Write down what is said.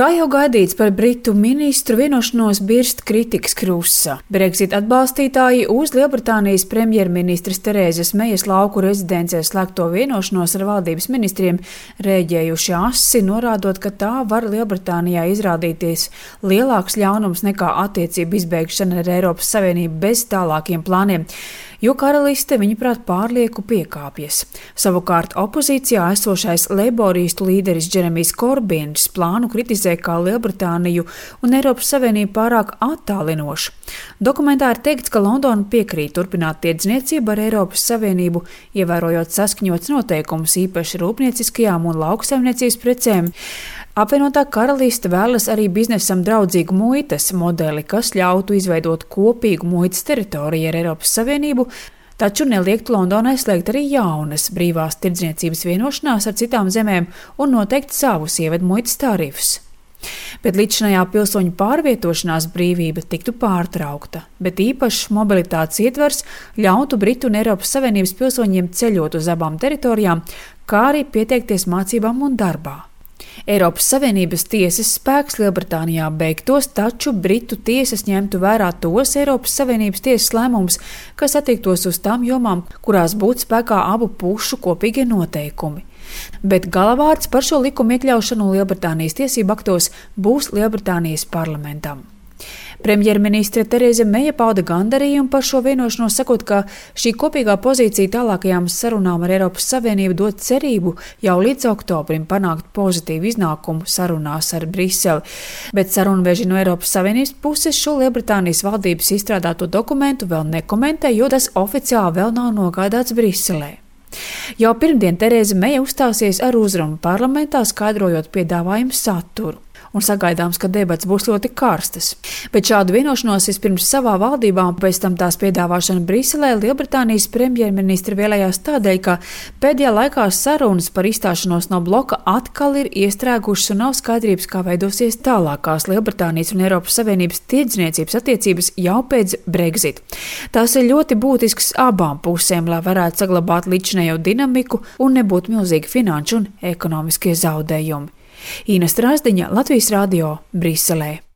Kā jau gaidīts, par Britu ministru vienošanos birst kritikas krusa. Brexit atbalstītāji uz Lielbritānijas premjerministres Terēzes Mejas lauku rezidencē slēgto vienošanos ar valdības ministriem rēģējuši asi, norādot, ka tā var Lielbritānijā izrādīties lielāks ļaunums nekā attiecību izbeigšana ar Eiropas Savienību bez tālākiem plāniem, jo karaliste, viņuprāt, pārlieku piekāpjas. Savukārt opozīcijā esošais leiboristu līderis Džeremijs Korbins plānu kritizē kā Lielbritāniju un Eiropas Savienību pārāk attālinošu. Dokumentā ir teikts, ka Londona piekrīt turpināt tirdzniecību ar Eiropas Savienību, ievērojot saskaņots noteikumus īpaši rūpnieciskajām un lauksaimniecības precēm. Apvienotā karaliste vēlas arī biznesam draudzīgu muitas modeli, kas ļautu izveidot kopīgu muitas teritoriju ar Eiropas Savienību, taču neliektu Londonai slēgt arī jaunas brīvās tirdzniecības vienošanās ar citām zemēm un noteikt savus ievedu muitas tarifus. Bet līdzinājā pilsoņu pārvietošanās brīvība tiktu pārtraukta, bet īpašs mobilitātes ietvers ļautu Britu un Eiropas Savienības pilsoņiem ceļot uz abām teritorijām, kā arī pieteikties mācībām un darbā. Eiropas Savienības tiesas spēks Lielbritānijā beigtos, taču Britu tiesas ņemtu vērā tos Eiropas Savienības tiesas lēmumus, kas attiektos uz tām jomām, kurās būtu spēkā abu pušu kopīgie noteikumi. Bet galavārds par šo likumu iekļaušanu Lielbritānijas tiesību aktos būs Lielbritānijas parlamentam. Premjerministre Terēze Meja pauda gandarījumu par šo vienošanos, sakot, ka šī kopīgā pozīcija tālākajām sarunām ar Eiropas Savienību dod cerību jau līdz oktobrim panākt pozitīvu iznākumu sarunās ar Briseli. Bet sarunveži no Eiropas Savienības puses šo Lielbritānijas valdības izstrādāto dokumentu vēl nekomentē, jo tas oficiāli vēl nav nogādāts Briselē. Jau pirmdien Terēze Meja uzstāsies ar uzrunu parlamentā, skaidrojot piedāvājumu saturu. Un sagaidāms, ka debats būs ļoti karstas. Bet šādu vienošanos vispirms savā valdībā un pēc tam tās piedāvāšana Briselē Lielbritānijas premjerministra vēlējās tādēļ, ka pēdējā laikā sarunas par izstāšanos no bloka atkal ir iestrēgušas un nav skaidrības, kā veidosies tālākās Lielbritānijas un Eiropas Savienības tirdzniecības attiecības jau pēc Brexit. Tās ir ļoti būtisks abām pusēm, lai varētu saglabāt līdzinējo dinamiku un nebūtu milzīgi finanšu un ekonomiskie zaudējumi. Ina Strasdiņa, Latvijas Radio, Briselē.